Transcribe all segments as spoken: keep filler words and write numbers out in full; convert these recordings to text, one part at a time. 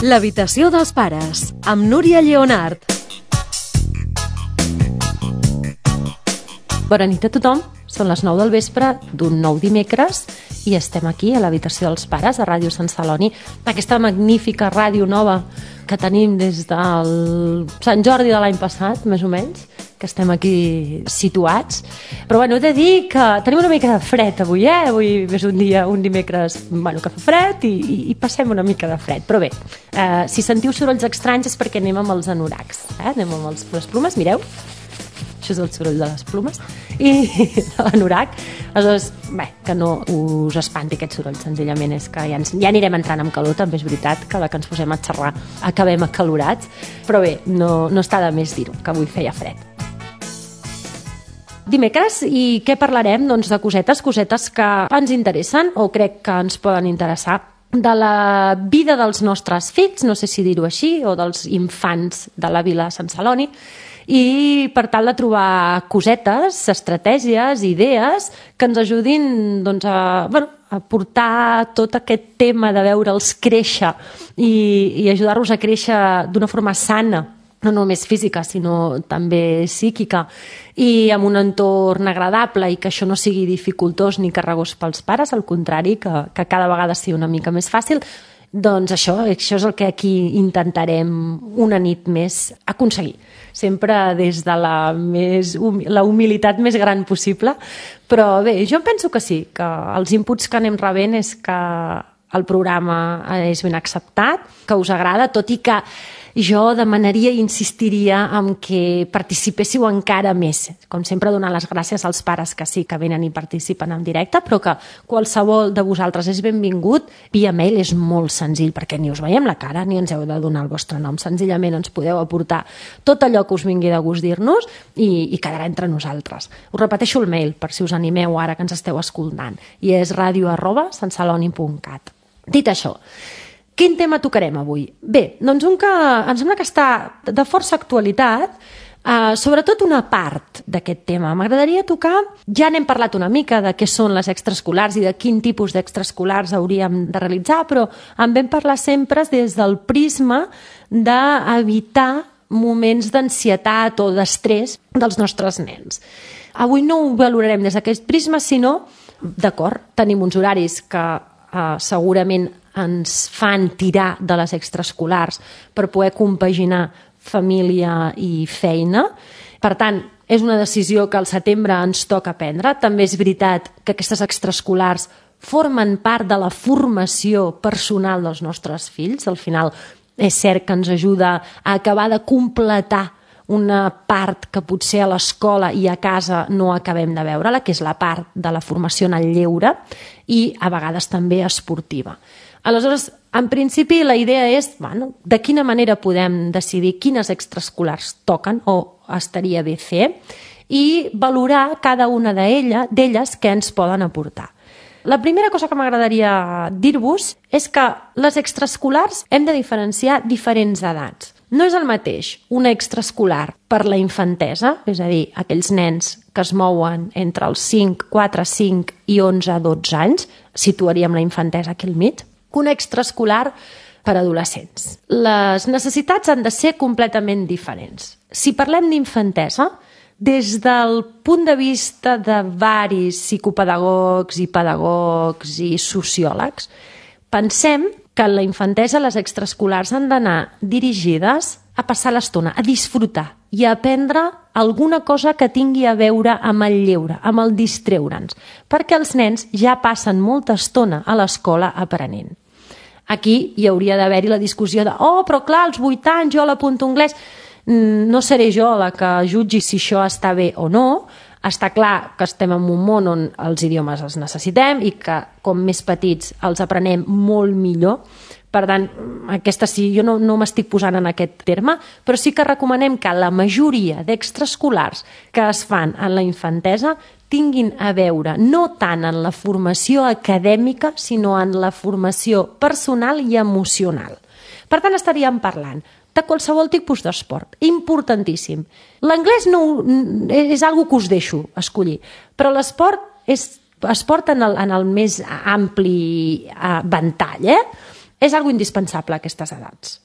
L'habitació dels pares, amb Núria Lleonart. Bona nit a tothom, són les nou del vespre d'un nou dimecres i estem aquí a l'habitació dels pares, a Ràdio Sant Celoni, aquesta magnífica ràdio nova que tenim des del Sant Jordi de l'any passat, més o menys, que estem aquí situats. Però bueno, he de dir que tenim una mica de fred avui, eh? Avui és un dia, un dimecres, bueno, que fa fred i, i, i passem una mica de fred. Però bé, eh, si sentiu sorolls estranys és perquè anem amb els anoracs, eh? Anem amb els, les plumes, mireu. Això és el soroll de les plumes i de l'anorac. Aleshores, bé, que no us espanti aquest soroll, senzillament és que ja, ens, ja anirem entrant amb calor, també és veritat que la que ens posem a xerrar acabem acalorats, però bé, no, no està de més dir-ho, que avui feia fred. Dimecres, i què parlarem? Doncs de cosetes, cosetes que ens interessen o crec que ens poden interessar, de la vida dels nostres fills, no sé si dir-ho així, o dels infants de la Vila Sant Celoni, i per tal de trobar cosetes, estratègies, idees que ens ajudin doncs, a, bueno, a portar tot aquest tema de veure'ls créixer i, i ajudar-los a créixer d'una forma sana, no només física, sinó també psíquica, i amb un entorn agradable i que això no sigui dificultós ni carregós pels pares, al contrari, que, que cada vegada sigui una mica més fàcil. Doncs això, això és el que aquí intentarem una nit més aconseguir, sempre des de la, més hum la humilitat més gran possible, però bé, jo penso que sí, que els inputs que anem rebent és que el programa és ben acceptat, que us agrada, tot i que jo demanaria i insistiria en que participéssiu encara més. Com sempre, donar les gràcies als pares que sí que venen i participen en directe, però que qualsevol de vosaltres és benvingut. Via mail és molt senzill, perquè ni us veiem la cara ni ens heu de donar el vostre nom. Senzillament ens podeu aportar tot allò que us vingui de gust dir-nos i, i quedarà entre nosaltres. Us repeteixo el mail, per si us animeu ara que ens esteu escoltant, i és ràdio arroba santceloni punt cat. Dit això, quin tema tocarem avui? Bé, doncs un que em sembla que està de força actualitat, eh, sobretot una part d'aquest tema. M'agradaria tocar, ja n'hem parlat una mica de què són les extraescolars i de quin tipus d'extraescolars hauríem de realitzar, però en vam parlar sempre des del prisma d'evitar moments d'ansietat o d'estrès dels nostres nens. Avui no ho valorarem des d'aquest prisma, sinó, d'acord, tenim uns horaris que eh, segurament ens fan tirar de les extraescolars per poder compaginar família i feina. Per tant, és una decisió que al setembre ens toca prendre. També és veritat que aquestes extraescolars formen part de la formació personal dels nostres fills. Al final és cert que ens ajuda a acabar de completar una part que potser a l'escola i a casa no acabem de veure-la, que és la part de la formació en el lleure i a vegades també esportiva. Aleshores, en principi, la idea és, bueno, de quina manera podem decidir quines extraescolars toquen o estaria bé fer i valorar cada una d'elles, d'elles què ens poden aportar. La primera cosa que m'agradaria dir-vos és que les extraescolars hem de diferenciar diferents edats. No és el mateix una extraescolar per la infantesa, és a dir, aquells nens que es mouen entre els cinc, quatre, cinc i onze, dotze anys, situaríem la infantesa aquí al mig, que una extraescolar per adolescents. Les necessitats han de ser completament diferents. Si parlem d'infantesa, des del punt de vista de varis psicopedagogs i pedagogs i sociòlegs, pensem que en la infantesa les extraescolars han d'anar dirigides a passar l'estona, a disfrutar i a aprendre alguna cosa que tingui a veure amb el lleure, amb el distreure'ns, perquè els nens ja passen molta estona a l'escola aprenent. Aquí hi hauria d'haver-hi la discussió de oh, però clar, als vuit anys jo l'apunto anglès. No seré jo la que jutgi si això està bé o no. Està clar que estem en un món on els idiomes els necessitem i que com més petits els aprenem molt millor. Per tant, aquesta sí, jo no, no m'estic posant en aquest terme, però sí que recomanem que la majoria d'extraescolars que es fan en la infantesa tinguin a veure no tant en la formació acadèmica, sinó en la formació personal i emocional. Per tant, estaríem parlant de qualsevol tipus d'esport. Importantíssim. L'anglès no, és algo que us deixo escollir, però l'esport és esport en el, en el més ampli eh, ventall, eh? És algo indispensable a aquestes edats.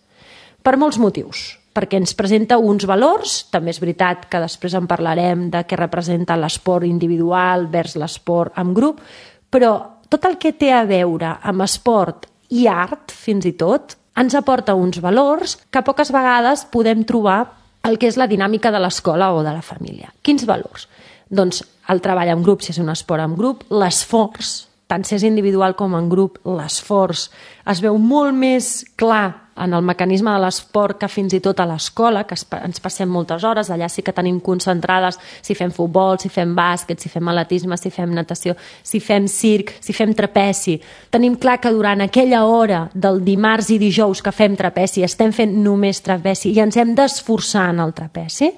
Per molts motius. Perquè ens presenta uns valors, també és veritat que després en parlarem de què representa l'esport individual vers l'esport en grup, però tot el que té a veure amb esport i art, fins i tot, ens aporta uns valors que poques vegades podem trobar el que és la dinàmica de l'escola o de la família. Quins valors? Doncs el treball en grup, si és un esport en grup, l'esforç, tant si és individual com en grup, l'esforç es veu molt més clar en el mecanisme de l'esport que fins i tot a l'escola, que ens passem moltes hores, allà sí que tenim concentrades si fem futbol, si fem bàsquet, si fem atletisme, si fem natació, si fem circ, si fem trapeci. Tenim clar que durant aquella hora del dimarts i dijous que fem trapeci estem fent només trapeci i ens hem d'esforçar en el trapeci.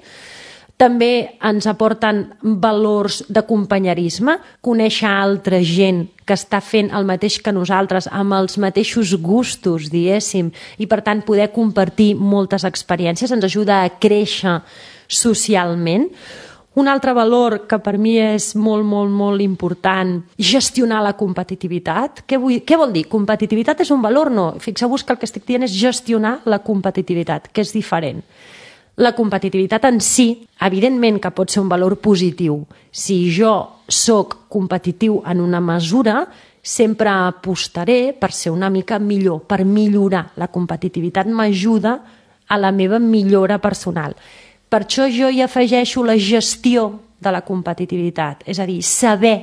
També ens aporten valors de companyerisme, conèixer altra gent que està fent el mateix que nosaltres, amb els mateixos gustos, diguéssim, i per tant poder compartir moltes experiències, ens ajuda a créixer socialment. Un altre valor que per mi és molt, molt, molt important, gestionar la competitivitat. Què, vull, què vol dir? Competitivitat és un valor? No. Fixeu-vos que el que estic dient és gestionar la competitivitat, que és diferent. La competitivitat en si, evidentment que pot ser un valor positiu. Si jo sóc competitiu en una mesura, sempre apostaré per ser una mica millor, per millorar. La competitivitat m'ajuda a la meva millora personal. Per això jo hi afegeixo la gestió de la competitivitat, és a dir, saber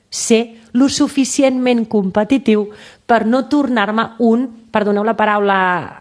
ser lo suficientment competitiu per no tornar-me un, perdoneu la paraula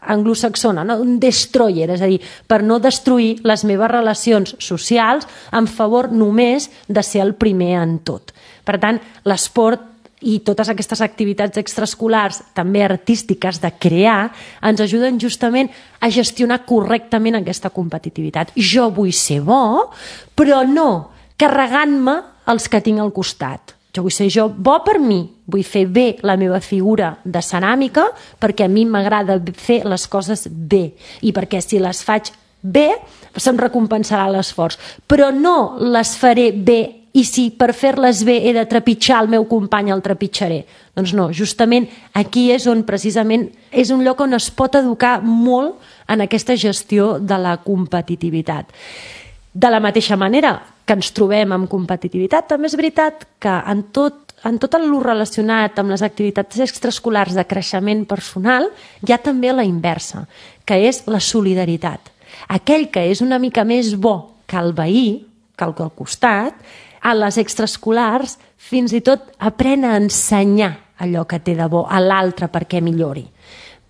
anglosaxona, no? Un destroyer, és a dir, per no destruir les meves relacions socials en favor només de ser el primer en tot. Per tant, l'esport i totes aquestes activitats extraescolars, també artístiques, de crear, ens ajuden justament a gestionar correctament aquesta competitivitat. Jo vull ser bo, però no carregant-me els que tinc al costat. Jo vull ser jo bo per mi, vull fer bé la meva figura de ceràmica perquè a mi m'agrada fer les coses bé i perquè si les faig bé se'm recompensarà l'esforç, però no les faré bé i si per fer-les bé he de trepitjar el meu company el trepitjaré. Doncs no, justament aquí és on precisament és un lloc on es pot educar molt en aquesta gestió de la competitivitat. De la mateixa manera que ens trobem amb competitivitat, també és veritat que en tot, en tot el relacionat amb les activitats extraescolars de creixement personal hi ha també la inversa, que és la solidaritat. Aquell que és una mica més bo que el veí, que el que al costat, a les extraescolars fins i tot aprèn a ensenyar allò que té de bo a l'altre perquè millori.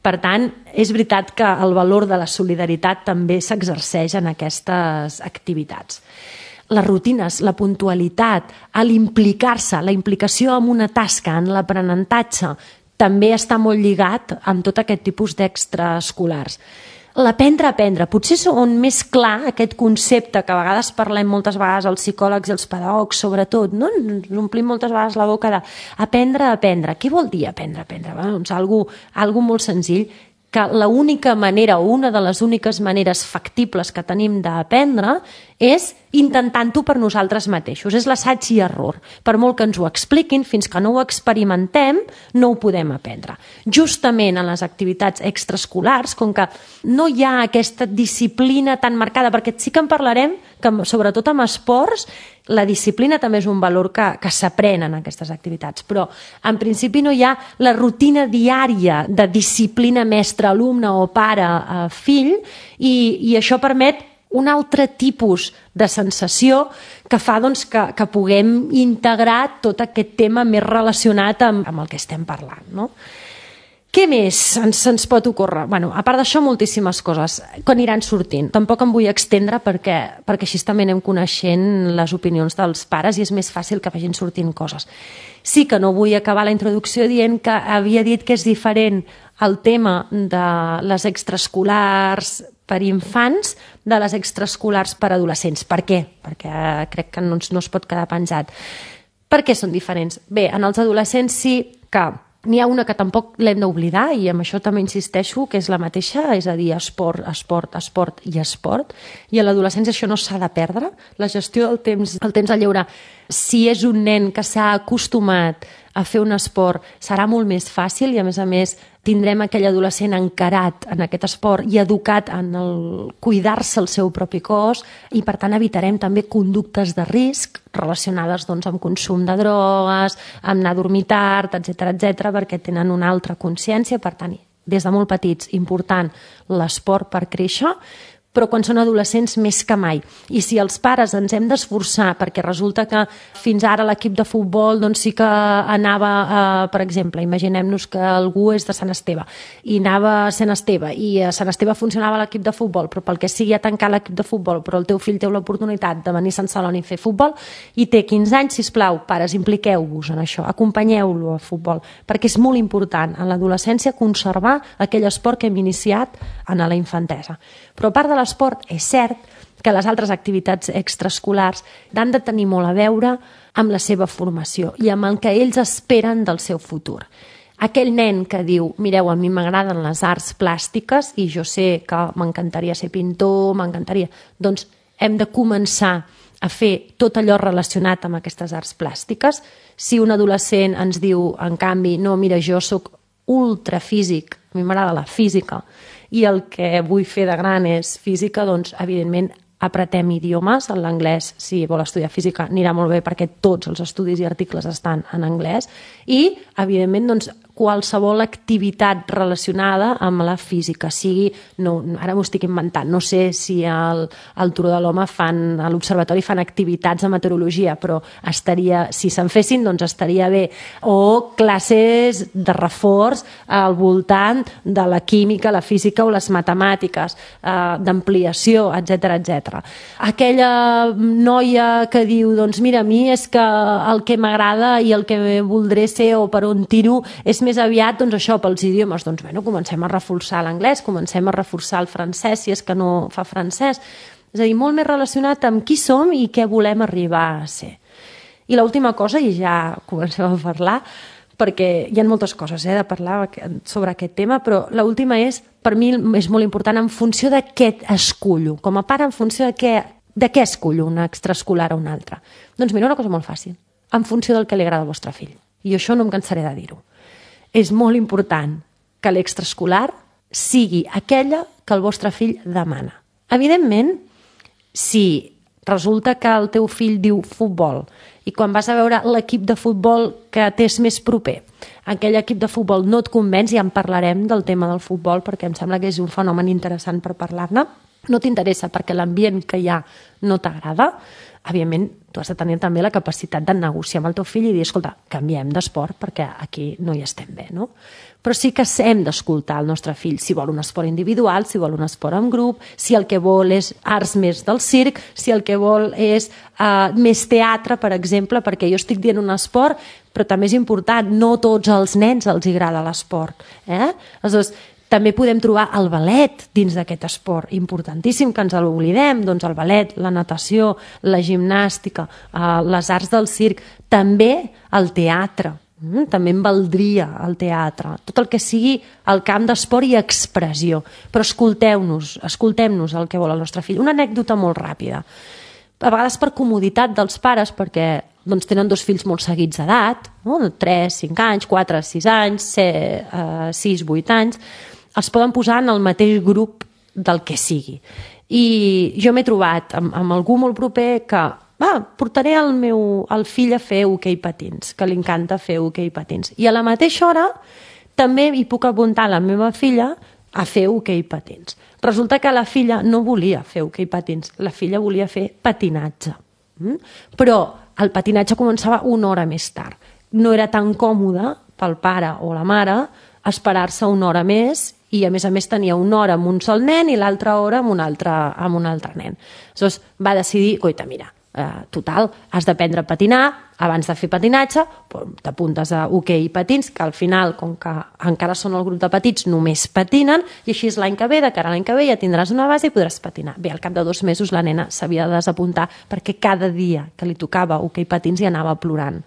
Per tant, és veritat que el valor de la solidaritat també s'exerceix en aquestes activitats. Les rutines, la puntualitat, l'implicar-se, la implicació en una tasca, en l'aprenentatge, també està molt lligat amb tot aquest tipus d'extraescolars. L'aprendre a aprendre, potser és on més clar aquest concepte que a vegades parlem moltes vegades els psicòlegs i els pedagogs, sobretot, no? Ens omplim moltes vegades la boca d'aprendre a aprendre. Què vol dir aprendre a aprendre? Bé, doncs algo, algo molt senzill, que l'única manera o una de les úniques maneres factibles que tenim d'aprendre és intentant-ho per nosaltres mateixos. És l'assaig i error. Per molt que ens ho expliquin, fins que no ho experimentem, no ho podem aprendre. Justament en les activitats extraescolars, com que no hi ha aquesta disciplina tan marcada, perquè sí que en parlarem, que sobretot amb esports, la disciplina també és un valor que, que s'aprèn en aquestes activitats, però en principi no hi ha la rutina diària de disciplina mestre-alumne o pare-fill i, i això permet un altre tipus de sensació que fa doncs, que, que puguem integrar tot aquest tema més relacionat amb, amb el que estem parlant, no? Què més ens, ens pot ocórrer? Bueno, a part d'això, moltíssimes coses que aniran sortint. Tampoc em vull extendre perquè, perquè així també anem coneixent les opinions dels pares i és més fàcil que vagin sortint coses. Sí que no vull acabar la introducció dient que havia dit que és diferent el tema de les extraescolars per infants de les extraescolars per adolescents. Per què? Perquè crec que no, no es pot quedar penjat. Per què són diferents? Bé, en els adolescents sí que n'hi ha una que tampoc l'hem d'oblidar i amb això també insisteixo que és la mateixa, és a dir, esport, esport, esport i esport, i a l'adolescència això no s'ha de perdre, la gestió del temps, el temps a lleure. Si és un nen que s'ha acostumat a fer un esport serà molt més fàcil i, a més a més, tindrem aquell adolescent encarat en aquest esport i educat en el cuidar-se el seu propi cos i, per tant, evitarem també conductes de risc relacionades doncs, amb consum de drogues, amb anar a dormir tard, etcètera, etcètera, perquè tenen una altra consciència. Per tant, des de molt petits, important l'esport per créixer, però quan són adolescents més que mai. I si els pares ens hem d'esforçar, perquè resulta que fins ara l'equip de futbol doncs sí que anava, eh, per exemple, imaginem-nos que algú és de Sant Esteve i anava a Sant Esteve i a Sant Esteve funcionava l'equip de futbol, però pel que sigui ha tancat l'equip de futbol, però el teu fill té l'oportunitat de venir a Sant Celoni a fer futbol i té quinze anys, sisplau, pares, impliqueu-vos en això, acompanyeu-lo a futbol, perquè és molt important en l'adolescència conservar aquell esport que hem iniciat en la infantesa. Però a part de l'esport, és cert que les altres activitats extraescolars han de tenir molt a veure amb la seva formació i amb el que ells esperen del seu futur. Aquell nen que diu, mireu, a mi m'agraden les arts plàstiques i jo sé que m'encantaria ser pintor, m'encantaria... Doncs hem de començar a fer tot allò relacionat amb aquestes arts plàstiques. Si un adolescent ens diu, en canvi, no, mira, jo sóc ultrafísic, a mi m'agrada la física, i el que vull fer de gran és física, doncs, evidentment, apretem idiomes. L'anglès, si vol estudiar física, anirà molt bé perquè tots els estudis i articles estan en anglès. I, evidentment, doncs, qualsevol activitat relacionada amb la física, sigui, no, ara m'ho estic inventant, no sé si al, al Turó de l'Home fan, a l'observatori fan activitats de meteorologia, però estaria, si se'n fessin, doncs estaria bé. O classes de reforç al voltant de la química, la física o les matemàtiques, eh, d'ampliació, etcètera, etcètera. Aquella noia que diu, doncs mira, a mi és que el que m'agrada i el que voldré ser o per on tiro és més aviat, doncs això, pels idiomes. Doncs, bueno, comencem a reforçar l'anglès, comencem a reforçar el francès, si és que no fa francès. És a dir, molt més relacionat amb qui som i què volem arribar a ser. I l'última cosa, i ja comencem a parlar, perquè hi ha moltes coses eh, de parlar sobre aquest tema, però l'última és, per mi, és molt important en funció de què escullo. Com a pare, en funció de què, de què escullo, una extraescolar o una altra. Doncs mira, una cosa molt fàcil. En funció del que li agrada al vostre fill. I això no em cansaré de dir-ho. És molt important que l'extraescolar sigui aquella que el vostre fill demana. Evidentment, si resulta que el teu fill diu futbol i quan vas a veure l'equip de futbol que t'és més proper, aquell equip de futbol no et convenç, ja en parlarem del tema del futbol perquè em sembla que és un fenomen interessant per parlar-ne, no t'interessa perquè l'ambient que hi ha no t'agrada, evidentment, tu has de tenir també la capacitat de negociar amb el teu fill i dir, escolta, canviem d'esport perquè aquí no hi estem bé, no? Però sí que hem d'escoltar el nostre fill si vol un esport individual, si vol un esport en grup, si el que vol és arts més del circ, si el que vol és uh, més teatre, per exemple, perquè jo estic dient un esport, però també és important, no tots els nens els agrada l'esport. Eh? Aleshores, també podem trobar el ballet dins d'aquest esport, importantíssim que ens l'oblidem, doncs el ballet, la natació, la gimnàstica, eh, les arts del circ, també el teatre, mm? també em valdria el teatre, tot el que sigui el camp d'esport i expressió, però escolteu-nos, escoltem-nos el que vol el nostre fill. Una anècdota molt ràpida, a vegades per comoditat dels pares, perquè doncs, tenen dos fills molt seguits d'edat, no? tres, cinc anys, quatre, sis anys, sis, vuit anys, els poden posar en el mateix grup del que sigui. I jo m'he trobat amb, amb algú molt proper que va, portaré el meu el fill a fer hoquei patins, que li encanta fer hoquei patins. I a la mateixa hora també hi puc apuntar la meva filla a fer hoquei patins. Resulta que la filla no volia fer hoquei patins, la filla volia fer patinatge. Mm? Però el patinatge començava una hora més tard. No era tan còmode pel pare o la mare esperar-se una hora més i a més a més tenia una hora amb un sol nen i l'altra hora amb un altre, amb un altre nen. Aleshores va decidir, coita, mira, eh, total, has d'aprendre a patinar, abans de fer patinatge t'apuntes a hoquei i patins, que al final, com que encara són el grup de petits, només patinen, i així és l'any que ve, de cara a l'any que ve ja tindràs una base i podràs patinar. Bé, al cap de dos mesos la nena s'havia de desapuntar perquè cada dia que li tocava hoquei i patins hi anava plorant.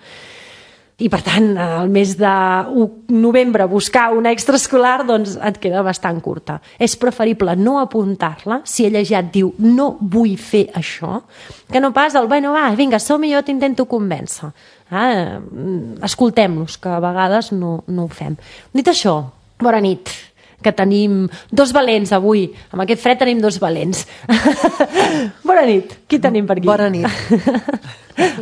i per tant el mes de novembre buscar una extraescolar doncs et queda bastant curta. És preferible no apuntar-la si ella ja et diu no vull fer això, que no pas el bueno va, vinga, som-hi, jo t'intento convèncer. Ah, escoltem-los, que a vegades no, no ho fem. Dit això, bona nit, que tenim dos valents avui. Amb aquest fred tenim dos valents. Bona nit. Qui tenim per aquí? Bona nit.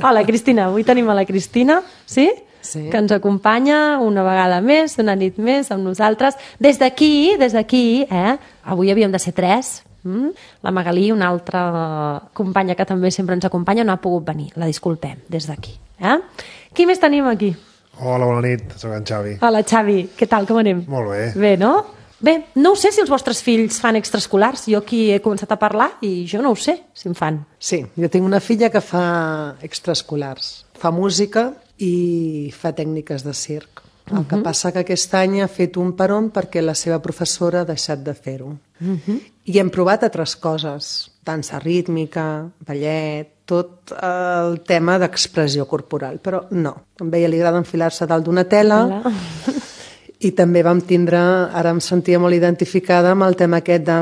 Hola, Cristina. Avui tenim a la Cristina, sí? Sí. Que ens acompanya una vegada més, una nit més amb nosaltres. Des d'aquí, des d'aquí, eh? Avui havíem de ser tres. Mm? La Magalí, una altra companya que també sempre ens acompanya, no ha pogut venir. La disculpem des d'aquí. Eh? Qui més tenim aquí? Hola, bona nit, soc en Xavi. Hola, Xavi. Què tal, com anem? Molt bé. Bé, no? Bé, no ho sé si els vostres fills fan extraescolars. Jo aquí he començat a parlar i jo no ho sé si en fan. Sí, jo tinc una filla que fa extraescolars. Fa música i fa tècniques de circ. El que passa que aquest any ha fet un peron perquè la seva professora ha deixat de fer-ho. Uh-huh. I hem provat altres coses, dansa rítmica, ballet, tot el tema d'expressió corporal, però no. A ella li agrada enfilar-se dalt d'una tela i també vam tindre, ara em sentia molt identificada amb el tema aquest de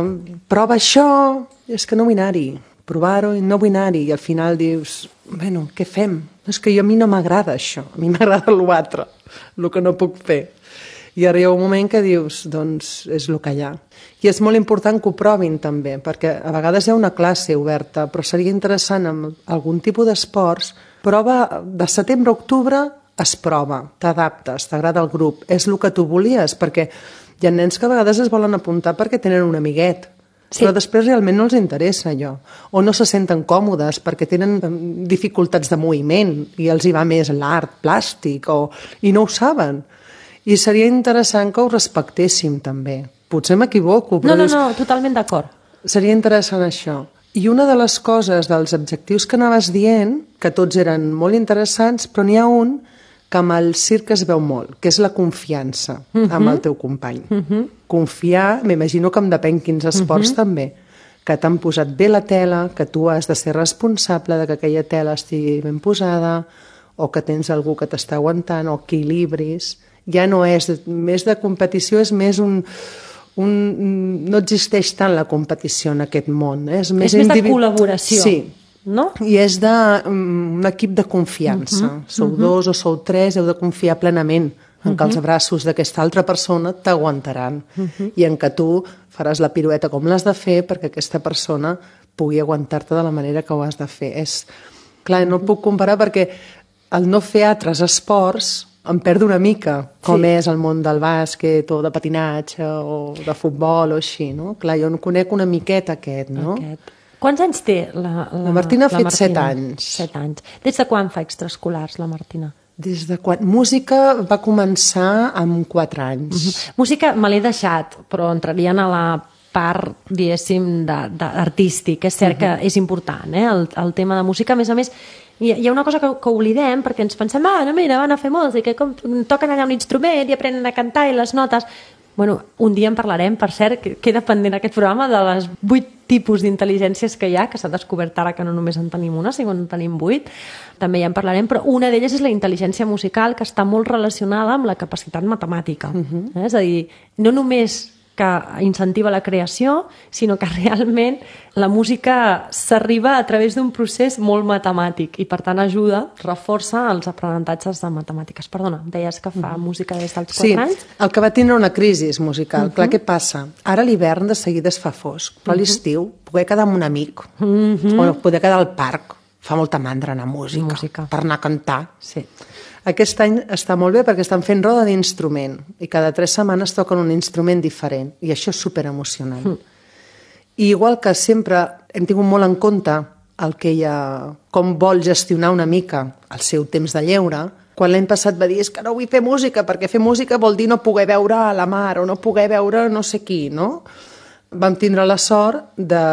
prova això, és que no vull anar-hi, provar-ho i no vull anar-hi, i al final dius, bueno, què fem? És que jo, a mi no m'agrada això, a mi m'agrada l'altre, el que no puc fer. I ara hi ha un moment que dius, doncs és el que hi ha. I és molt important que ho provin també, perquè a vegades hi ha una classe oberta, però seria interessant amb algun tipus d'esports, prova de setembre a octubre, es prova, t'adaptes, t'agrada el grup, és el que tu volies, perquè hi ha nens que a vegades es volen apuntar perquè tenen un amiguet, sí. Però després realment no els interessa allò, o no se senten còmodes perquè tenen dificultats de moviment i els hi va més l'art plàstic o... i no ho saben. I seria interessant que ho respectéssim també. Potser m'equivoco, però... No, no, no, totalment d'acord. Seria interessant això. I una de les coses, dels objectius que anaves dient, que tots eren molt interessants, però n'hi ha un que amb el circ es veu molt, que és la confiança uh-huh. amb el teu company. Uh-huh. Confiar, m'imagino que em depèn quins esports uh-huh. també, que t'han posat bé la tela, que tu has de ser responsable de que aquella tela estigui ben posada, o que tens algú que t'està aguantant, o equilibris. Ja no és, més de competició, és més un... Un, no existeix tant la competició en aquest món. Eh? És més, és més individu... de col·laboració. Sí. No? I és de, um, un equip de confiança. Uh-huh. Sou uh-huh. dos o sou tres, heu de confiar plenament en uh-huh. que els braços d'aquesta altra persona t'aguantaran uh-huh. i en que tu faràs la pirueta com l'has de fer perquè aquesta persona pugui aguantar-te de la manera que ho has de fer. És... Clar, no puc comparar perquè el no fer altres esports em perdo una mica, com sí. és el món del bàsquet o de patinatge o de futbol o així, no? Clar, jo en conec una miqueta aquest, no? Aquest. Quants anys té la, la, la Martina? Ha fet Martina? set anys. Set anys. Des de quan fa extraescolars, la Martina? Des de quan? Música va començar amb quatre anys. Uh-huh. Música me l'he deixat, però entrarien a la part, diguéssim, d'artístic. És cert uh-huh. que és important, eh? el, el tema de música. A més a més, hi ha una cosa que, que oblidem, perquè ens pensem, ah, no, mira, van a fer música, com toquen allà un instrument i aprenen a cantar i les notes. Bueno, un dia en parlarem, per cert, que queda pendent aquest programa de les vuit tipus d'intel·ligències que hi ha, que s'ha descobert ara que no només en tenim una, sinó en tenim vuit. També ja en parlarem, però una d'elles és la intel·ligència musical, que està molt relacionada amb la capacitat matemàtica. Uh-huh. eh? És a dir, no només que incentiva la creació, sinó que realment la música s'arriba a través d'un procés molt matemàtic i per tant ajuda, reforça els aprenentatges de matemàtiques. Perdona, deies que fa uh-huh. música des dels quatre sí, anys? Sí, el que va tindre una crisi musical. Uh-huh. Clar, què passa? Ara a l'hivern de seguida es fa fosc, però a l'estiu uh-huh. poder quedar amb un amic uh-huh. o poder quedar al parc, fa molta mandra anar a música, música. per anar a cantar. Sí. Aquest any està molt bé perquè estan fent roda d'instrument i cada tres setmanes toquen un instrument diferent i això és superemocionant. Mm. I igual que sempre hem tingut molt en compte el que ella, com vol gestionar una mica el seu temps de lleure, quan l'any passat va dir és que no vull fer música perquè fer música vol dir no poder veure la mar o no poder veure no sé qui, no? Vam tindre la sort de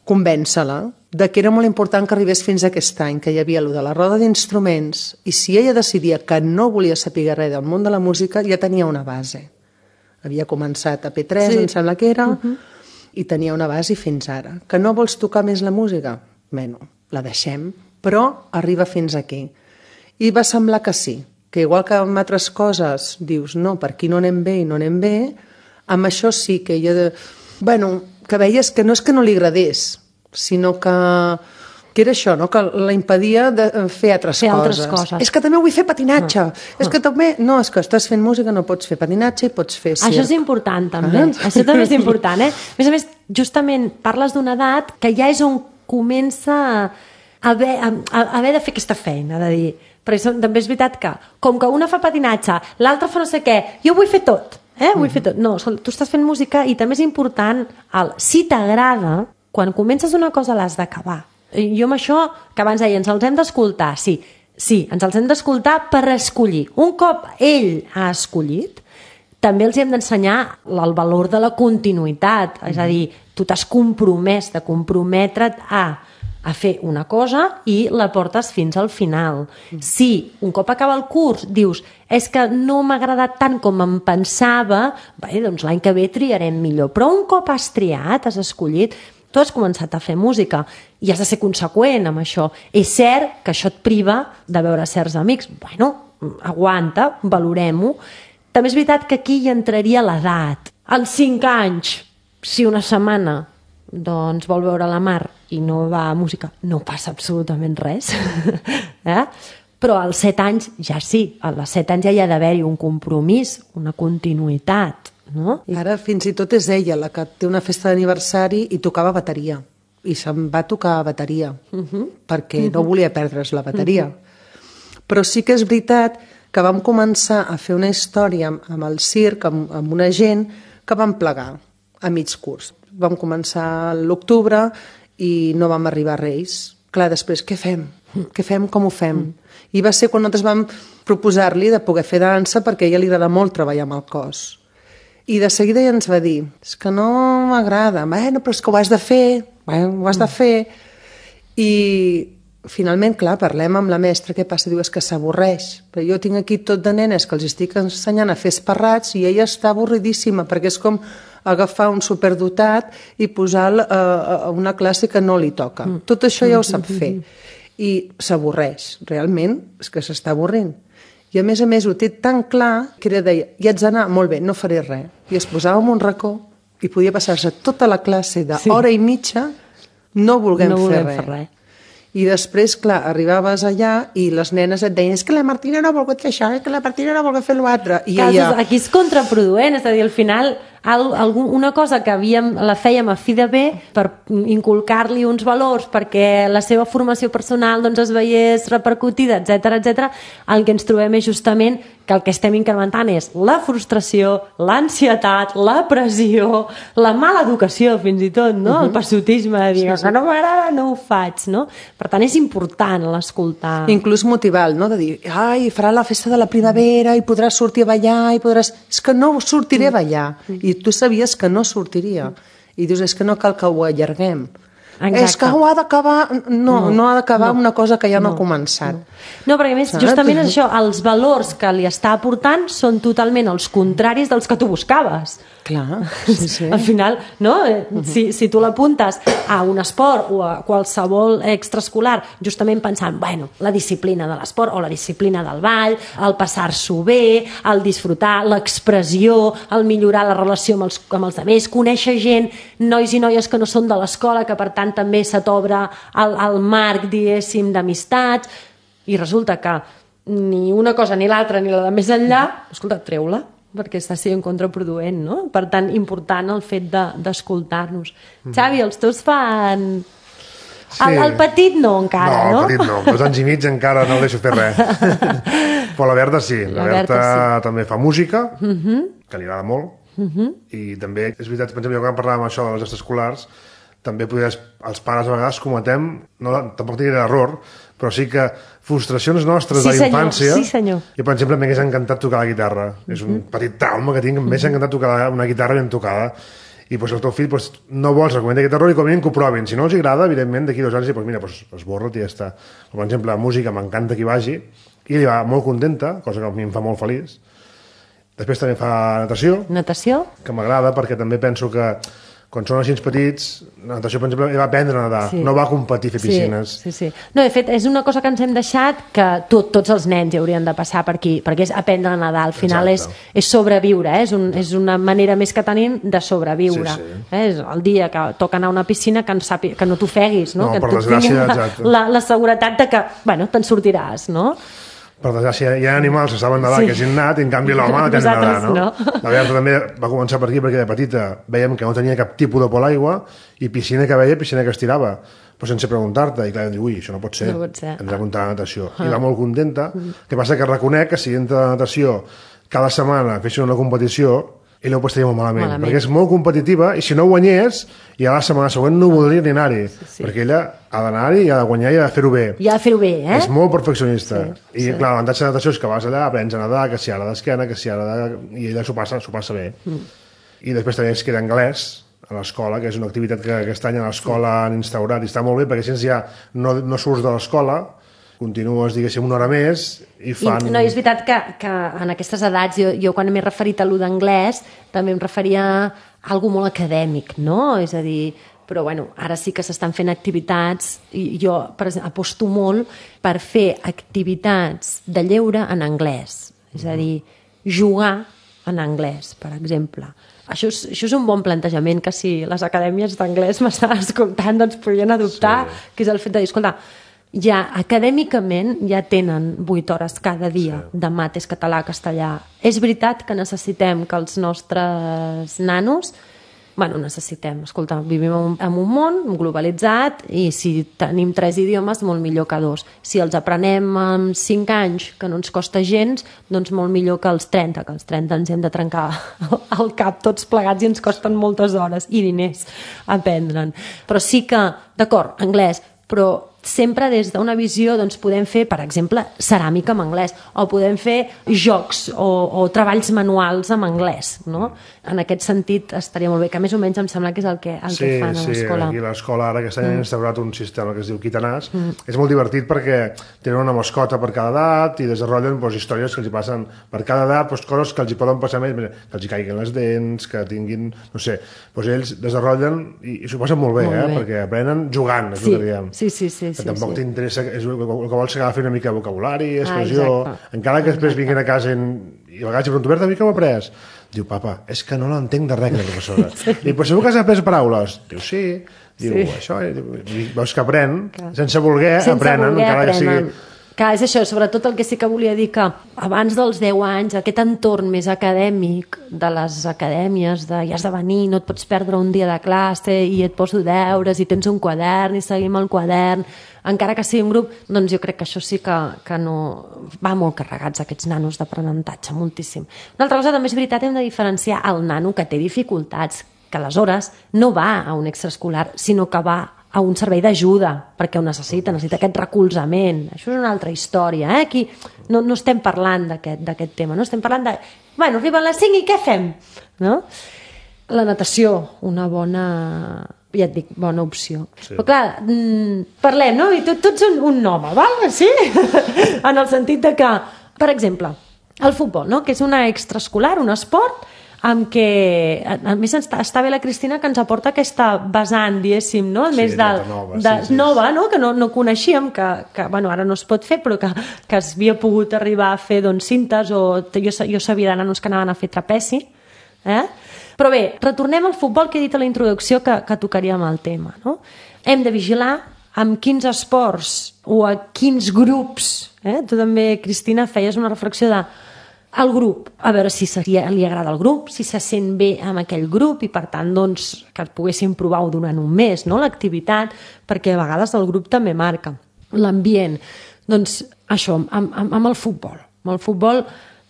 convèncer-la de que era molt important que arribés fins a aquest any, que hi havia allò de la roda d'instruments, i si ella decidia que no volia saber res del món de la música, ja tenia una base. Havia començat a P tres, sí. em sembla que era, uh-huh. i tenia una base fins ara. Que no vols tocar més la música? Bueno, la deixem, però arriba fins aquí. I va semblar que sí, que igual que amb altres coses dius, no, per aquí no anem bé i no anem bé, amb això sí que ella... De... Bueno, que veies que no és que no li agradés, sinó que, que era això, no? Que la impedia de fer altres, fer coses. altres coses. És que també vull fer patinatge. Ah. És que també... No, és que estàs fent música, no pots fer patinatge i pots fer circ. Això és important, també. Ah. Això també és important, eh? A més a més, justament parles d'una edat que ja és on comença a haver, a, a haver de fer aquesta feina, de dir... Perquè també és veritat que, com que una fa patinatge, l'altra fa no sé què, jo vull fer tot, eh? Vull fer tot. No, tu estàs fent música i també és important, el, si t'agrada, quan comences una cosa l'has d'acabar. Jo amb això, que abans deia, ens els hem d'escoltar, sí, sí, ens els hem d'escoltar per escollir. Un cop ell ha escollit, també els hem d'ensenyar el valor de la continuïtat, és a dir, tu t'has compromès de comprometre't a, a fer una cosa i la portes fins al final. Si un cop acaba el curs dius és que no m'ha agradat tant com em pensava, bé, doncs l'any que ve triarem millor, però un cop has triat, has escollit, tu has començat a fer música i has de ser conseqüent amb això. És cert que això et priva de veure certs amics. Bueno, aguanta, valorem-ho. També és veritat que aquí hi entraria l'edat. Als cinc anys, si una setmana doncs vol veure la mar i no va a música, no passa absolutament res. eh? Però als set anys ja sí, als set anys ja hi ha d'haver-hi un compromís, una continuïtat. No? Ara fins i tot és ella la que té una festa d'aniversari i tocava bateria i se'n va tocar bateria uh-huh. perquè uh-huh. no volia perdre's la bateria uh-huh. però sí que és veritat que vam començar a fer una història amb, amb el circ, amb, amb una gent que vam plegar a mig curs. Vam començar a l'octubre i no vam arribar a Reis. Clar, després, què fem? Què fem? Com ho fem? Uh-huh. I va ser quan nosaltres vam proposar-li de poder fer dansa perquè a ella li agrada molt treballar amb el cos. I de seguida ja ens va dir, és que no m'agrada, bueno, però és que ho has de fer, bueno, ho has de fer. I finalment, clar, parlem amb la mestra, què passa? Diu, és que s'avorreix. Però jo tinc aquí tot de nenes que els estic ensenyant a fer esparrats i ella està avorridíssima, perquè és com agafar un superdotat i posar a una classe que no li toca. Tot això ja ho sap fer. I s'avorreix, realment, és que s'està avorrint. I a més a més ho té tan clar que ella deia, ja ets d'anar, molt bé, no faré res. I es posava en un racó i podia passar-se tota la classe d'hora sí. i mitja no volguem, no fer, volem res. fer res. I després, clar, arribaves allà i les nenes et deien, és que la Martina no ha volgut fer això, és que la Martina no ha volgut fer l'altre. I ella... ella... Aquí és contraproduent, és a dir, al final una cosa que havíem, la fèiem a fi de bé per inculcar-li uns valors perquè la seva formació personal doncs, es veiés repercutida, etcètera, etcètera, el que ens trobem és justament que el que estem incrementant és la frustració, l'ansietat, la pressió, la mala educació fins i tot, no? Uh-huh. El passotisme de dir, sí, sí. que no m'agrada, no ho faig, no? Per tant, és important l'escoltar. Inclús motivar, no? De dir, ai, farà la festa de la primavera i podràs sortir a ballar i podràs... És que no sortiré a ballar. I tu sabies que no sortiria. I dius, és que no cal que ho allarguem. Exacte. És que ho ha d'acabar... No, no, no ha d'acabar no, una cosa que ja no, no ha començat. No, no perquè a més, justament és això, els valors que li està aportant són totalment els contraris dels que tu buscaves. Clar, sí, sí. Al final, no? Si, si tu l'apuntes a un esport o a qualsevol extraescolar, justament pensant, bueno, la disciplina de l'esport o la disciplina del ball, el passar-s'ho bé, el disfrutar, l'expressió, el millorar la relació amb els, amb els altres, conèixer gent, nois i noies que no són de l'escola, que per tant també se t'obre el, el marc, diguéssim, d'amistats, i resulta que ni una cosa ni l'altra ni la de més enllà, escolta, treu-la, perquè està sent contraproduent, no? Per tant, important el fet de, d'escoltar-nos. Mm. Xavi, els teus fan... Sí. El, el petit no, encara, no? No, el petit no. Dos anys i mig encara no el deixo fer res. Però la Berta sí. La, la Berta, Berta sí. també fa música, uh-huh. que li agrada molt, uh-huh. i també, és veritat, per exemple, quan parlàvem això de les extraescolars, també podries, els pares a vegades cometem, no, tampoc diré error, però sí que frustracions nostres sí, de la infància... Sí, senyor. Jo, per exemple, m'hagués encantat tocar la guitarra. Mm-hmm. És un petit trauma que tinc, m'hagués encantat tocar una guitarra ben tocada. I doncs, el teu fill doncs, no vols recomanar aquest error i com a mínim que ho provin. Si no els agrada, evidentment, d'aquí dos anys, doncs, mira, doncs, esborra't i ja està. Per exemple, la música m'encanta que hi vagi i ella va molt contenta, cosa que a mi em fa molt feliç. Després també fa natació. Natació. Que m'agrada perquè també penso que quan són així petits, la natació, per exemple, va aprendre a nedar, sí. no va competir a fer piscines. Sí, sí, sí. No, de fet, és una cosa que ens hem deixat que tot, tots els nens hi haurien de passar per aquí, perquè és aprendre a nedar, al final és, és sobreviure, eh? és, un, és una manera més que tenim de sobreviure. Sí, sí. Eh? És el dia que toca anar a una piscina que, sàpi, que no t'ofeguis, no? no, que per desgràcia, la, la, la seguretat de que, bueno, te'n sortiràs, no? Per desgràcia, hi ha animals que saben nedar, sí. que hagin anat, i en canvi l'home no té nedar, no? no? La Berta també va començar per aquí perquè de petita veiem que no tenia cap tipus de por a l'aigua i piscina que veia, piscina que es tirava, però sense preguntar-te, i clar, diu, ui, això no pot ser, no pot ser. Ens ha comptat la natació. Ah. I va molt contenta, que passa que reconec que si entra a la natació cada setmana fessin una competició, ell ho posaria molt malament, malament, perquè és molt competitiva i si no guanyés, ja la setmana següent no voldria ni anar-hi, sí, sí. perquè ella ha d'anar-hi i ha de guanyar i ha de fer-ho bé. I ha de fer-ho bé, eh? És molt perfeccionista. Sí, I, sí. clar, l'avantatge de natació és que vas allà, aprens a nedar, que si ara d'esquena, que si ara de... i ella s'ho passa, s'ho passa bé. Mm. I després també es queda anglès a l'escola, que és una activitat que aquest any a l'escola han instaurat i està molt bé, perquè si ja no, no surts de l'escola, continues, diguéssim, una hora més i fan... I, no, és veritat que, que en aquestes edats, jo, jo quan m'he referit a l'u d'anglès, també em referia a algo molt acadèmic, no? És a dir, però bueno, ara sí que s'estan fent activitats i jo per exemple, aposto molt per fer activitats de lleure en anglès, és a dir, jugar en anglès, per exemple. Això és, això és un bon plantejament que si les acadèmies d'anglès m'estan escoltant doncs podrien adoptar, sí. que és el fet de dir, escolta, ja acadèmicament ja tenen vuit hores cada dia sí. de mates, català, castellà. És veritat que necessitem que els nostres nanos, bueno, necessitem, escolta, vivim en un, en un món globalitzat i si tenim tres idiomes, molt millor que dos. Si els aprenem en cinc anys, que no ens costa gens, doncs molt millor que els trenta, que els trenta ens hem de trencar el cap tots plegats i ens costen moltes hores i diners aprendre'n. Però sí que, d'acord, anglès, però sempre des d'una visió doncs, podem fer, per exemple, ceràmica en anglès, o podem fer jocs o, o treballs manuals en anglès, no? En aquest sentit estaria molt bé, que més o menys em sembla que és el que, el sí, que fan a l'escola. Sí, aquí a l'escola ara aquest any mm. han instaurat un sistema que es diu Quitanàs. Mm. És molt divertit perquè tenen una mascota per cada edat i desenvolupen doncs, històries que els hi passen per cada edat, doncs, coses que els hi poden passar més, que els hi caiguin les dents, que tinguin, no sé, doncs ells desenvolupen i, i s'ho passen molt bé, molt eh? Bé. Perquè aprenen jugant, és sí. el que diem. Sí, sí, sí. Que sí tampoc sí. t'interessa, és el que vols que agafi una mica de vocabulari, expressió, ah, encara que després vinguin a casa i, i a vegades pregunto, Berta, a mi què m'ha après? Diu, papa, és que no l'entenc de res, la professora. sí. I però segur que has après paraules? Diu, sí. Diu, sí. Això, diu, veus que aprèn, Clar. sense voler, sense aprenen, voler, encara aprenen. Que sigui... Clar, és això, sobretot el que sí que volia dir que abans dels deu anys, aquest entorn més acadèmic de les acadèmies, de ja has de venir, no et pots perdre un dia de classe i et poso deures i tens un quadern i seguim el quadern, encara que sigui un grup, doncs jo crec que això sí que, que no... va molt carregats aquests nanos d'aprenentatge, moltíssim. Una altra cosa també és veritat, hem de diferenciar el nano que té dificultats, que aleshores no va a un extraescolar, sinó que va a un servei d'ajuda, perquè ho necessita, necessita aquest recolzament. Això és una altra història, eh? Aquí no, no estem parlant d'aquest tema, no estem parlant de... Bueno, arriben les cinc i què fem? No? La natació, una bona... ja et dic, bona opció. Sí. Però clar, parlem, no? I tot, tots un, un home, val? Sí? En el sentit de que, per exemple, el futbol, no? Que és una extraescolar, un esport, amb què, a més està, està bé la Cristina que ens aporta aquesta vessant, diguéssim, no? Sí, més de, nova, de, sí, sí. nova, no? Que no, no coneixíem, que, que bueno, ara no es pot fer, però que, que es havia pogut arribar a fer doncs, cintes, o jo, jo sabia de nanos que anaven a fer trapeci, eh? Però bé, retornem al futbol, que he dit a la introducció que, que tocaríem el tema, no? Hem de vigilar amb quins esports o a quins grups, eh? Tu també, Cristina, feies una reflexió de el grup, a veure si seria, li agrada el grup, si se sent bé amb aquell grup i per tant doncs, que poguéssim provar-ho durant un mes, no? L'activitat, perquè a vegades el grup també marca l'ambient. Doncs això, amb, amb, amb el futbol. Amb el futbol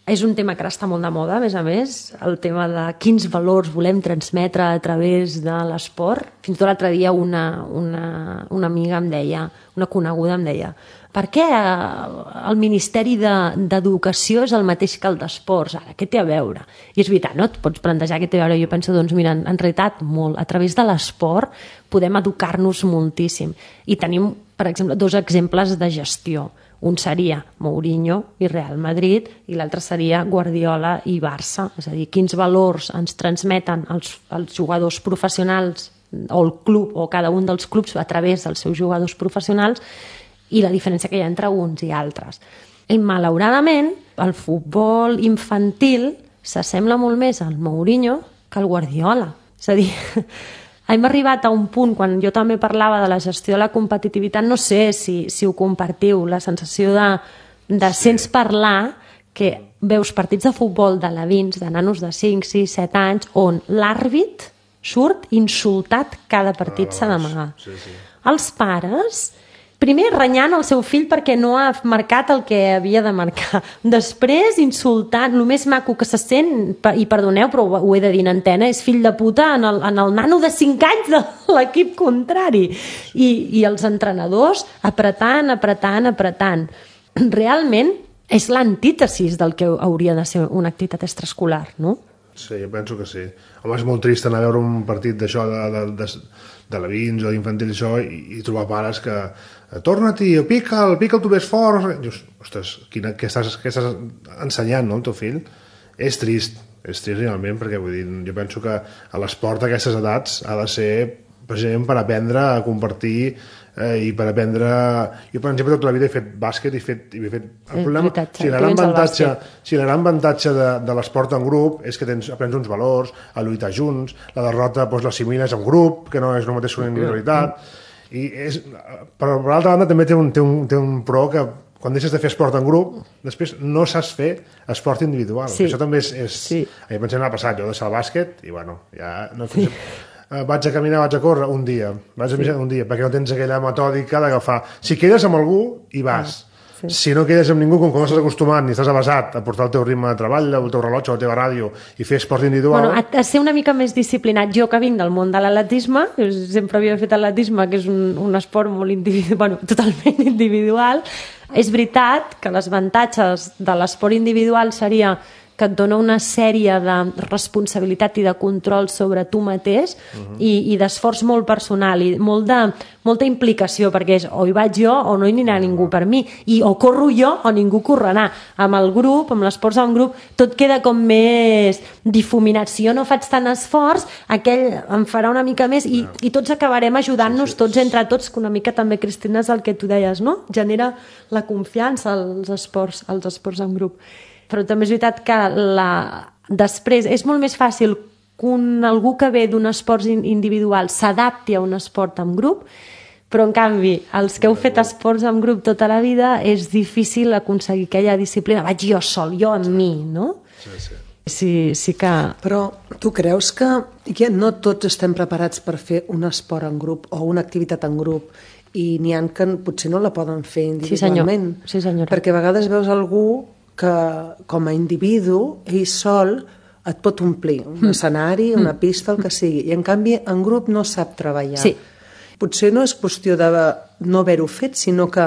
és un tema que ara està molt de moda, a més a més, el tema de quins valors volem transmetre a través de l'esport. Fins i tot l'altre dia una, una, una amiga em deia, una coneguda em deia, per què el Ministeri d'Educació és el mateix que el d'Esports? Ara, què té a veure? I és veritat, no? Et pots plantejar què té a veure. Jo penso, doncs mira, en realitat molt. A través de l'esport podem educar-nos moltíssim. I tenim, per exemple, dos exemples de gestió. Un seria Mourinho i Real Madrid i l'altre seria Guardiola i Barça. És a dir, quins valors ens transmeten els, els jugadors professionals o el club o cada un dels clubs a través dels seus jugadors professionals i la diferència que hi ha entre uns i altres. I malauradament el futbol infantil s'assembla molt més al Mourinho que al Guardiola. És a dir, hem arribat a un punt, quan jo també parlava de la gestió de la competitivitat, no sé si, si ho compartiu, la sensació de, de sí. Sents parlar que veus partits de futbol d'alevins, de nanos de cinc, sis, set anys, on l'àrbit surt insultat cada partit s'ha d'amagar. Sí, sí. Els pares, primer renyant el seu fill perquè no ha marcat el que havia de marcar. Després insultant, el més maco que se sent, i perdoneu però ho he de dir en antena, és fill de puta en el, en el nano de cinc anys de l'equip contrari. I, i els entrenadors apretant, apretant, apretant. Realment és l'antítesis del que hauria de ser una activitat extraescolar, no? Sí, jo penso que sí. Home, és molt trist anar a veure un partit d'això, de, de, de, de l'avins o d'infantil això, i, i trobar pares que torna-t'hi, pica'l, pica'l tu més fort. Dius, ostres, quina, què, estàs, què estàs ensenyant, no, el teu fill? És trist, és trist realment, perquè vull dir, jo penso que a l'esport a aquestes edats ha de ser precisament per aprendre a compartir eh, i per aprendre... Jo, per exemple, tota la vida he fet bàsquet i he fet... I he fet el problema, veritat, si la gran avantatge, si la gran avantatge de, de l'esport en grup és que tens, aprens uns valors, a lluitar junts, la derrota doncs, l'assimiles en grup, que no és el mateix que una individualitat, i és, però per l'altra banda també té un, té, un, té un pro que quan deixes de fer esport en grup, després no saps fer esport individual. Sí. Això també és... és sí. A mi pensem m'ha passat, jo deixar el bàsquet i bueno, ja... No, sí. Uh, vaig a caminar, vaig a córrer un dia, vaig a sí. un dia, perquè no tens aquella metòdica d'agafar. Si quedes amb algú, hi vas. Ah, sí. Si no quedes amb ningú, com que no estàs acostumat ni estàs avasat a portar el teu ritme de treball, el teu rellotge o la teva ràdio i fer esport individual... Bueno, a, a ser una mica més disciplinat. Jo que vinc del món de l'atletisme, sempre havia fet atletisme, que és un, un esport molt individual, bueno, totalment individual. És veritat que les avantatges de l'esport individual seria que et dona una sèrie de responsabilitat i de control sobre tu mateix uh-huh. i, i d'esforç molt personal i molt de, molta implicació, perquè és o hi vaig jo o no hi anirà ningú per mi, i o corro jo o ningú correrà. Amb el grup, amb l'esforç en grup, tot queda com més difuminat. Si jo no faig tant esforç, aquell em farà una mica més i, i tots acabarem ajudant-nos sí, sí. tots entre tots, que una mica també, Cristina, és el que tu deies, no? Genera la confiança als esports, als esports en grup. Però també és veritat que la... després és molt més fàcil que un, algú que ve d'un esport individual s'adapti a un esport en grup, però en canvi els que heu fet esports en grup tota la vida és difícil aconseguir aquella disciplina. Vaig jo sol, jo amb mi, no? Sí, sí. Sí, sí que... Però tu creus que, que no tots estem preparats per fer un esport en grup o una activitat en grup i n'hi ha que potser no la poden fer individualment? Sí, senyor. Sí, senyora. Perquè a vegades veus algú que com a individu, ell sol et pot omplir un escenari, una pista, el que sigui, i en canvi en grup no sap treballar. Sí. Potser no és qüestió de no haver-ho fet, sinó que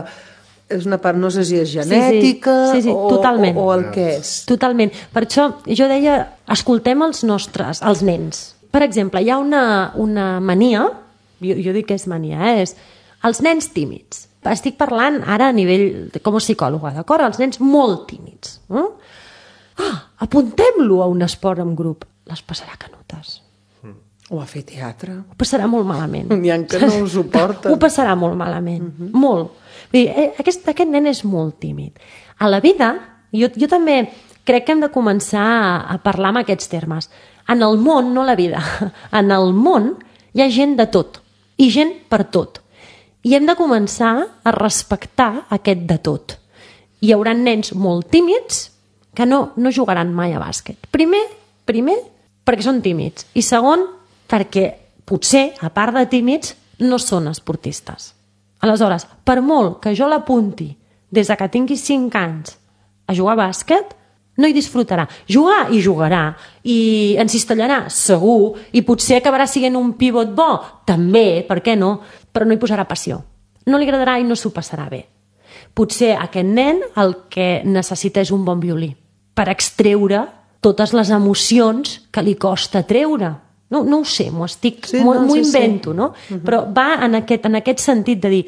és una part, no sé si és genètica sí, sí. Sí, sí, o, o, o el que és. Totalment. Per això jo deia, escoltem els nostres, els nens. Per exemple, hi ha una, una mania, jo, jo dic que és mania, eh? És els nens tímids. Estic parlant ara a nivell de, com a psicòloga, d'acord? Els nens molt tímids. Eh? Ah, apuntem-lo a un esport en grup. Les passarà canutes. O a fer teatre. Ho passarà molt malament. N'hi ha que no ho suporten. Ho passarà molt malament. Uh-huh. Molt. Vull dir, aquest, aquest nen és molt tímid. A la vida, jo, jo també crec que hem de començar a, a parlar amb aquests termes. En el món, no la vida, en el món hi ha gent de tot. I gent per tot. I hem de començar a respectar aquest de tot. Hi haurà nens molt tímids que no, no jugaran mai a bàsquet. Primer, primer, perquè són tímids. I segon, perquè potser, a part de tímids, no són esportistes. Aleshores, per molt que jo l'apunti des que tingui cinc anys a jugar a bàsquet, no hi disfrutarà. Jugar hi jugarà, i en cistellarà, segur, i potser acabarà sent un pivot bo, també, per què no? Però no hi posarà passió. No li agradarà i no s'ho passarà bé. Potser aquest nen el que necessita és un bon violí per extreure totes les emocions que li costa treure. No, no ho sé, m'ho estic, sí, m'ho, no, m'ho sí, invento, sí. No? Uh-huh. Però va en aquest, en aquest sentit de dir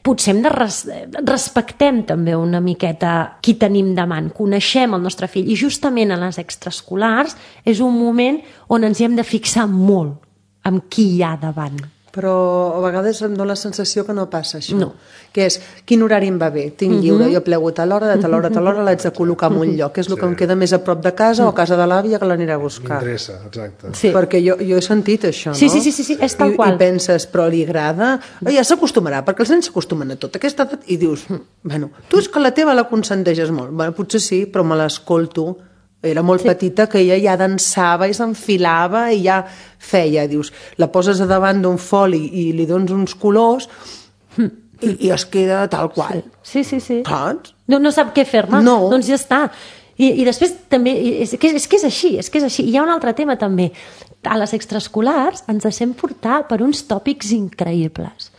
potser hem de res respectem també una miqueta qui tenim davant, coneixem el nostre fill, i justament a les extraescolars és un moment on ens hi hem de fixar molt amb qui hi ha davant. Però a vegades em dóna la sensació que no passa això. No. Que és, quin horari em va bé? Tinc lliure, jo plego a tal hora, de tal hora a tal hora l'haig de col·locar en un lloc, que és el que em queda més a prop de casa o a casa de l'àvia que l'aniré a buscar. M'interessa, exacte. Sí. Perquè jo, jo he sentit això, no? Sí, sí, sí, sí, sí, és tal I, qual. I penses, però li agrada? Ja s'acostumarà, perquè els nens s'acostumen a tot. Aquesta edat, i dius, bueno, tu és que la teva la consenteixes molt. Bueno, potser sí, però me l'escolto. Era molt sí. petita, que ella ja dansava i s'enfilava i ja feia, dius, la poses a davant d'un foli i li dones uns colors i, i es queda tal qual. Sí, sí, sí. Saps? No, no sap què fer-ne, no. Doncs ja està. I, i després també, és que, és que és així, és que és així. I hi ha un altre tema també. A les extraescolars ens deixem portar per uns tòpics increïbles.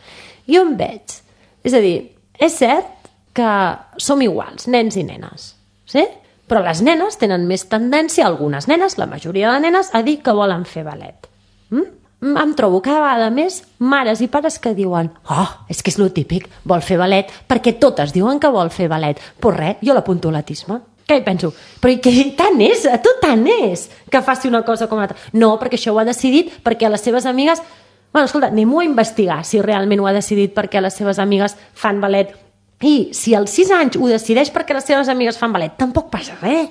Jo em veig. És a dir, és cert que som iguals, nens i nenes, sí? Però les nenes tenen més tendència, algunes nenes, la majoria de nenes, a dir que volen fer ballet. Mm? Em trobo cada vegada més mares i pares que diuen oh, és que és lo típic, vol fer ballet, perquè totes diuen que vol fer ballet. Pues res, jo l'apunto a l'autisme. Què hi penso? Però i que tant és, a tu tant és que faci una cosa com l'altra. No, perquè això ho ha decidit perquè les seves amigues... Bueno, escolta, anem-ho a investigar si realment ho ha decidit perquè les seves amigues fan ballet. I si als sis anys ho decideix perquè les seves amigues fan ballet, tampoc passa res.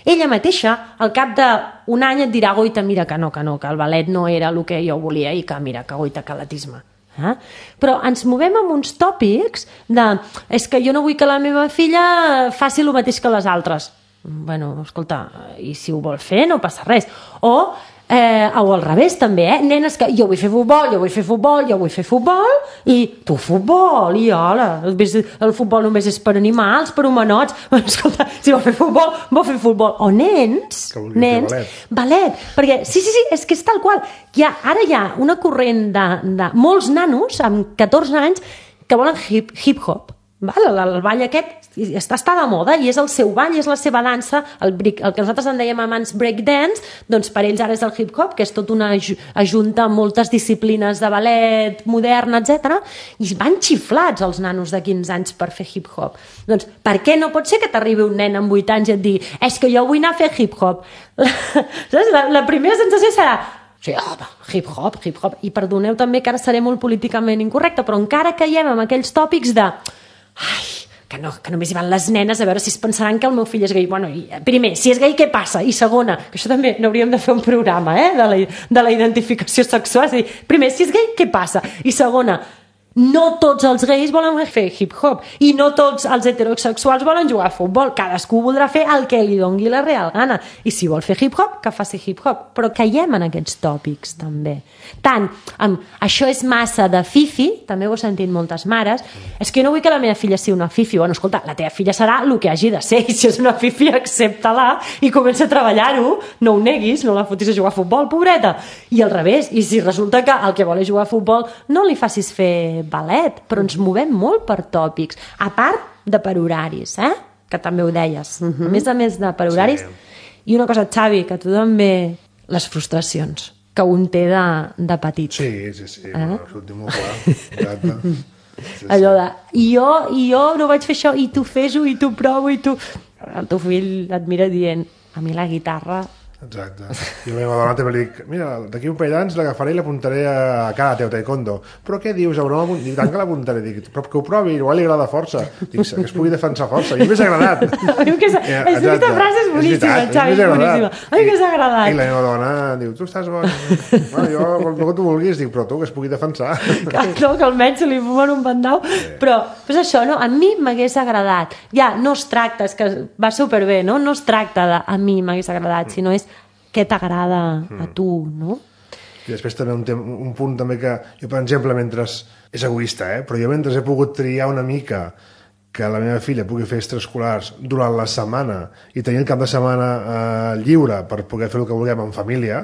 Ella mateixa, al cap d'un any et dirà, goita, mira que no, que no, que el ballet no era el que jo volia i que mira, que goita, que l'atisme. Eh? Però ens movem amb uns tòpics de, és que jo no vull que la meva filla faci el mateix que les altres. Bueno, escolta, i si ho vol fer no passa res. O... Eh, o al revés també, eh? Nenes que jo vull fer futbol, jo vull fer futbol, jo vull fer futbol i tu futbol, i hola el futbol només és per animals, per humanots. Escolta, si vol fer futbol vol fer futbol, o nens nens, ballet. ballet perquè sí, sí, sí, és que és tal qual hi ha, ara hi ha una corrent de, de molts nanos amb catorze anys que volen hip, hip hop. Val? El, el ball aquest està, està de moda i és el seu ball, és la seva dansa, el, brick, el que nosaltres en dèiem abans breakdance, doncs per ells ara és el hip-hop, que és tot una ajunta amb moltes disciplines de ballet modern, etcètera. I van xiflats els nanos de quinze anys per fer hip-hop. Doncs per què no pot ser que t'arribi un nen amb vuit anys i et digui és que jo vull anar a fer hip-hop? La, la, la primera sensació serà sí, home, hip-hop, hip-hop. I perdoneu també que ara seré molt políticament incorrecta, però encara caiem amb aquells tòpics de ai, que, no, que només hi van les nenes a veure si es pensaran que el meu fill és gai. Bueno, i, primer, si és gai, què passa? I segona, que això també n'hauríem de fer un programa, eh, de la, de la identificació sexual. És a dir, primer, si és gai, què passa? I segona, no tots els gais volen fer hip-hop i no tots els heterosexuals volen jugar a futbol. Cadascú voldrà fer el que li dongui la real gana. I si vol fer hip-hop, que faci hip-hop. Però caiem en aquests tòpics, també. Tant, amb això és massa de fifi, també ho he sentit moltes mares, és que jo no vull que la meva filla sigui una fifi. Bueno, escolta, la teva filla serà el que hagi de ser, i si és una fifi, accepta-la i comença a treballar-ho, no ho neguis, no la fotis a jugar a futbol, pobreta. I al revés, i si resulta que el que vol és jugar a futbol, no li facis fer ballet, però ens movem molt per tòpics, a part de per horaris, eh? Que també ho deies, uh-huh. a més a més de per horaris. Sí. I una cosa, Xavi, que tu també, les frustracions que un té de, de petit. Sí, sí, sí, eh? Bueno, això ho tinc molt clar, exacte. Sí, sí. Allò de, i jo, i jo no vaig fer això, i tu fes-ho, i tu provo, i tu... El teu fill et mira dient, a mi la guitarra... Exacte. Jo a la meva dona també li dic, mira, d'aquí un parell d'anys l'agafaré i l'apuntaré a karate o taekwondo. Però què dius? A broma, dic, tant que l'apuntaré. Dic, però que ho provi, igual li agrada força. Dic, que es pugui defensar força. I m'has agradat. A mi que ja, aquesta frase és boníssima, és Xavi, és boníssima. A mi que s'ha agradat. I la meva dona diu, tu estàs bon. Bueno, jo, el que tu vulguis, dic, però tu que es pugui defensar. Que, no, que almenys se li fumen un bandau. Sí. Però, pues això, no? A mi m'hagués agradat. Ja, no es tracta, és que va superbé, no? No es tracta de a mi m'hagués agradat, sinó és què t'agrada a tu, no? I després també un, un punt també que jo, per exemple, mentre és egoista, eh? Però jo mentre he pogut triar una mica que la meva filla pugui fer extraescolars durant la setmana i tenir el cap de setmana eh, lliure per poder fer el que vulguem en família,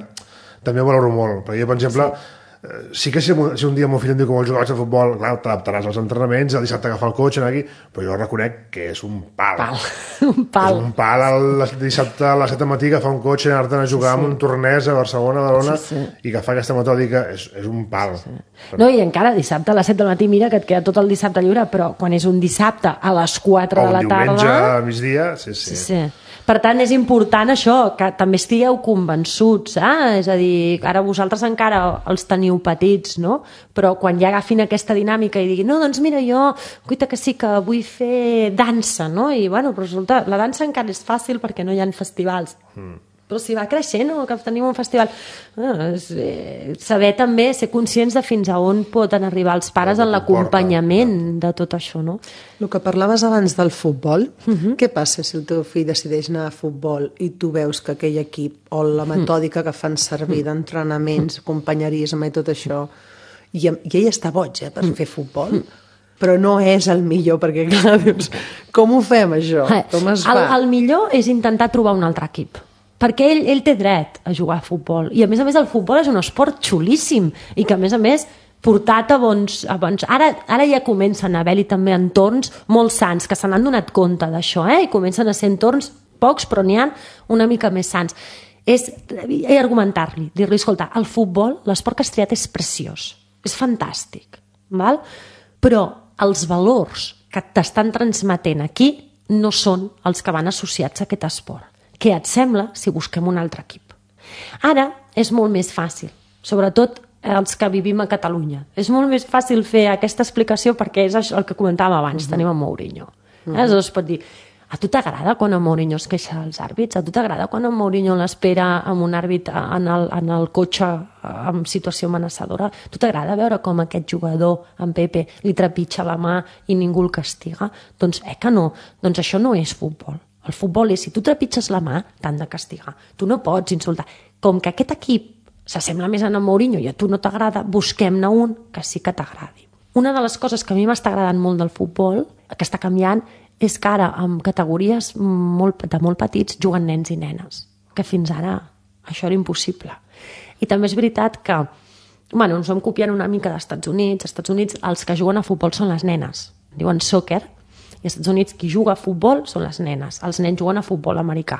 també ho valoro molt. Perquè jo, per exemple, sí. sí que si, si un dia el meu fill em diu que vol jugar a futbol, clar, t'adaptaràs als entrenaments, el dissabte agafar el cotxe, anar aquí, però jo reconec que és un pal. Pal. un pal. És un pal el dissabte a les set del matí agafar un cotxe, anar-te'n a jugar sí, sí. amb un tornès a Barcelona, a Badalona, sí, sí. i agafar aquesta metòdica és, és un pal. Sí, sí. No, i encara dissabte a les set del matí, mira que et queda tot el dissabte lliure, però quan és un dissabte a les quatre de la tarda... O un diumenge a migdia, sí, sí. sí, sí. Per tant, és important això, que també estigueu convençuts, eh? És a dir, ara vosaltres encara els teniu petits, no? Però quan ja agafin aquesta dinàmica i diguin, no, doncs mira, jo, cuita que sí que vull fer dansa, no? I, bueno, però resulta, la dansa encara és fàcil perquè no hi ha festivals. Mm. Però si va creixent, no? Que tenim un festival... Ah, és, eh, saber també, ser conscients de fins a on poden arribar els pares en l'acompanyament de tot això, no? El que parlaves abans del futbol, uh-huh. què passa si el teu fill decideix anar a futbol i tu veus que aquell equip o la metòdica que fan servir d'entrenaments, companyerisme i tot això, i, i ell està boig, eh, per fer futbol, però no és el millor, perquè clar, dius, com ho fem això? Com es fa? El, el millor és intentar trobar un altre equip, perquè ell, ell té dret a jugar a futbol, i a més a més el futbol és un esport xulíssim, i que a més a més portat a bons... A bons... Ara, ara ja comencen a haver-hi també entorns molt sants, que se n'han donat compte d'això, eh? I comencen a ser entorns pocs, però n'hi ha una mica més sants. És argumentar-li, dir-li, escolta, el futbol, l'esport que has triat és preciós, és fantàstic, val? Però els valors que t'estan transmetent aquí no són els que van associats a aquest esport. Què et sembla si busquem un altre equip? Ara és molt més fàcil, sobretot els que vivim a Catalunya. És molt més fàcil fer aquesta explicació perquè és això el que comentàvem abans, uh-huh. tenim en Mourinho. Uh-huh. Aleshores es pot dir, a tu t'agrada quan en Mourinho es queixa dels àrbits? A tu t'agrada quan en Mourinho l'espera amb un àrbit en el, en el cotxe en situació amenaçadora? A tu t'agrada veure com aquest jugador, en Pepe, li trepitja la mà i ningú el castiga? Doncs eh que no, doncs això no és futbol. El futbol és, si tu trepitges la mà, t'han de castigar. Tu no pots insultar. Com que aquest equip s'assembla més a en Mourinho i a tu no t'agrada, busquem-ne un que sí que t'agradi. Una de les coses que a mi m'està agradant molt del futbol, que està canviant, és que ara, amb categories molt, de molt petits, juguen nens i nenes, que fins ara això era impossible. I també és veritat que, bueno, ens vam copiant una mica dels Estats Units. Als Estats Units els que juguen a futbol són les nenes, diuen soccer, i als Estats Units qui juga a futbol són les nenes, els nens juguen a futbol americà,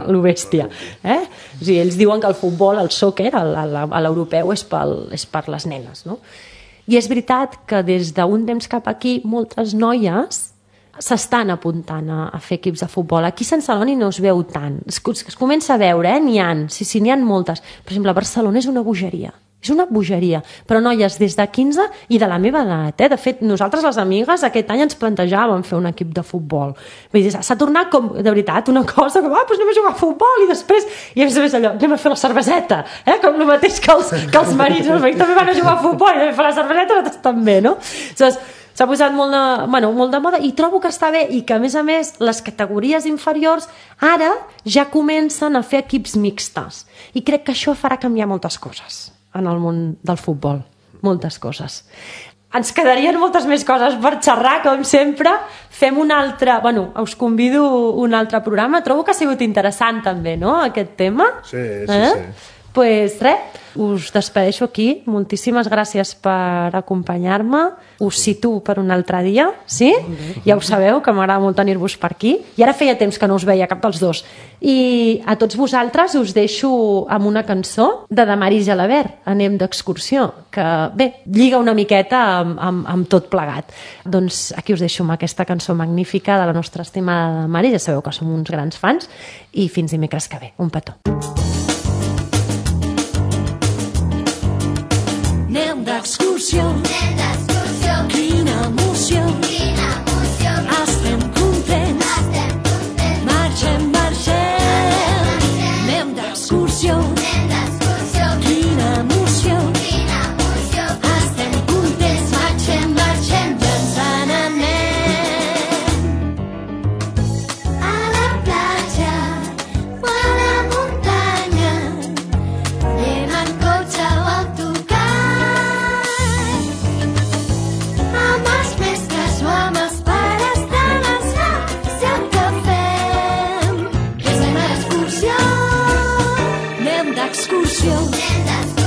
lo bèstia, eh? O sigui, ells diuen que el futbol, el soccer, a l'europeu és, pel, és per les nenes, no? I és veritat que des d'un temps cap aquí moltes noies s'estan apuntant a, a fer equips de futbol. Aquí a Sant Celoni no es veu tant, es, es comença a veure, eh? N'hi ha, sí, sí, n'hi ha moltes. Per exemple, a Barcelona és una bogeria, és una bogeria, però noies des de quinze i de la meva edat, eh? De fet, nosaltres les amigues aquest any ens plantejàvem fer un equip de futbol. Vull dir, s'ha tornat com, de veritat, una cosa que, ah, doncs anem a jugar a futbol i després, i a més a més allò, anem a fer la cerveseta, eh? Com el mateix que els, que els marits, els marits també van a jugar a futbol i anem a fer la cerveseta, nosaltres també, no? Aleshores, s'ha posat molt de, bueno, molt de moda i trobo que està bé i que, a més a més, les categories inferiors ara ja comencen a fer equips mixtes. I crec que això farà canviar moltes coses en el món del futbol. Moltes coses. Ens quedarien moltes més coses per xerrar, com sempre. Fem un altre... Bueno, us convido un altre programa. Trobo que ha sigut interessant també, no?, aquest tema. Sí, sí, eh? sí. Pues res, us despedeixo aquí. Moltíssimes gràcies per acompanyar-me. Us situo per un altre dia, sí? Ja ho sabeu, que m'agrada molt tenir-vos per aquí. I ara feia temps que no us veia cap dels dos. I a tots vosaltres us deixo amb una cançó de Damaris Gelabert, Anem d'excursió, que, bé, lliga una miqueta amb, amb, amb tot plegat. Doncs aquí us deixo amb aquesta cançó magnífica de la nostra estimada Damaris. Ja sabeu que som uns grans fans. I fins dimecres que ve. Un petó. Anem d'excursió, anem d'excursió, quina emoció, quina emoció, estem contents, estem contents, marxem, marxem, anem d'excursió, anem d'excursió, quina emoció, quina emoció, estem contents, marxem, marxem, ja ens n'anem. A la platja o a la muntanya, anem en cotxe o autocar, amb els mestres o amb els pares de l'escola, el que fem és anar d'excursió, anem d'excursió, anem d'excursió.